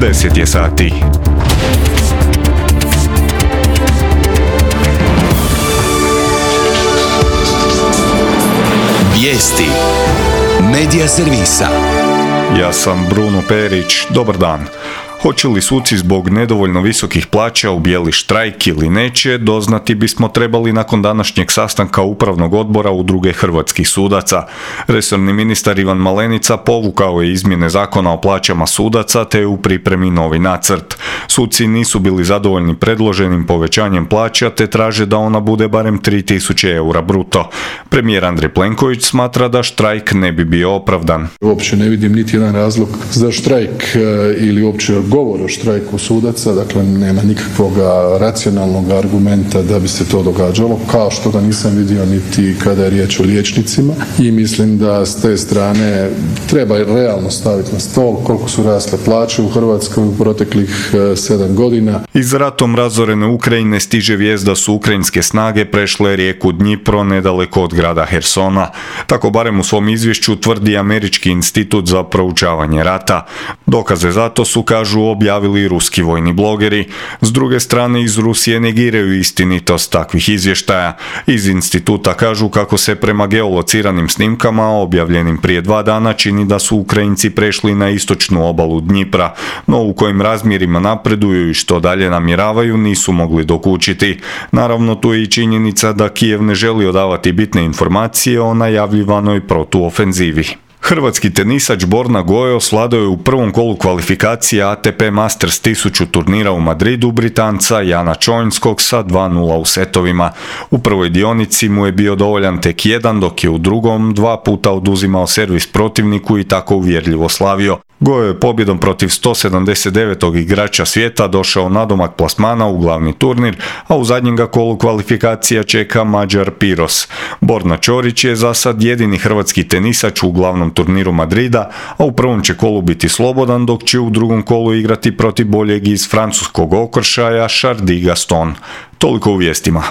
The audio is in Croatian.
10 je sati. Vijesti Medija servisa. Ja sam Bruno Perić, dobar dan. Hoće li suci zbog nedovoljno visokih plaća ubijeli štrajk ili neće, doznati bismo trebali nakon današnjeg sastanka Upravnog odbora Udruge hrvatskih sudaca. Resorni ministar Ivan Malenica povukao je izmjene zakona o plaćama sudaca te je u pripremi novi nacrt. Suci nisu bili zadovoljni predloženim povećanjem plaća te traže da ona bude barem 3.000 eura bruto. Premijer Andrej Plenković smatra da štrajk ne bi bio opravdan. Uopće ne vidim niti jedan razlog za štrajk ili uopće govor o štrajku sudaca, dakle nema nikakvog racionalnog argumenta da bi se to događalo, kao što ga nisam vidio niti kada je riječ o liječnicima, i mislim da s te strane treba realno staviti na stol koliko su rasle plaće u Hrvatskoj u proteklih 7 godina. Iz ratom razorene Ukrajine stiže vijest da su ukrajinske snage prešle rijeku Dnjipro nedaleko od grada Hersona. Tako barem u svom izvješću tvrdi Američki institut za proučavanje rata. Dokaze za to su, kažu, objavili ruski vojni blogeri. S druge strane, iz Rusije negiraju istinitost takvih izvještaja. Iz instituta kažu kako se prema geolociranim snimkama objavljenim prije 2 dana čini da su Ukrajinci prešli na istočnu obalu Dnjipra, no u kojim razmjerima napreduju i što dalje namjeravaju nisu mogli dokučiti. Naravno, tu je i činjenica da Kijev ne želi odavati bitne informacije o najavljivanoj protuofenzivi. Hrvatski tenisač Borna Gojo osvladao je u prvom kolu kvalifikacije ATP Masters 1000 turnira u Madridu Britanca Jana Čojnskog sa 2:0 u setovima. U prvoj dionici mu je bio dovoljan tek jedan, dok je u drugom 2 puta oduzimao servis protivniku i tako uvjerljivo slavio. Gojo je pobjedom protiv 179. igrača svijeta došao nadomak plasmana u glavni turnir, a u zadnjem ga kolu kvalifikacija čeka Mađar Piros. Borna Ćorić je za sad jedini hrvatski tenisač u glavnom turniru Madrida, a u prvom će kolu biti slobodan, dok će u drugom kolu igrati protiv boljeg iz francuskog okršaja Chardy Gaston. Toliko u vijestima.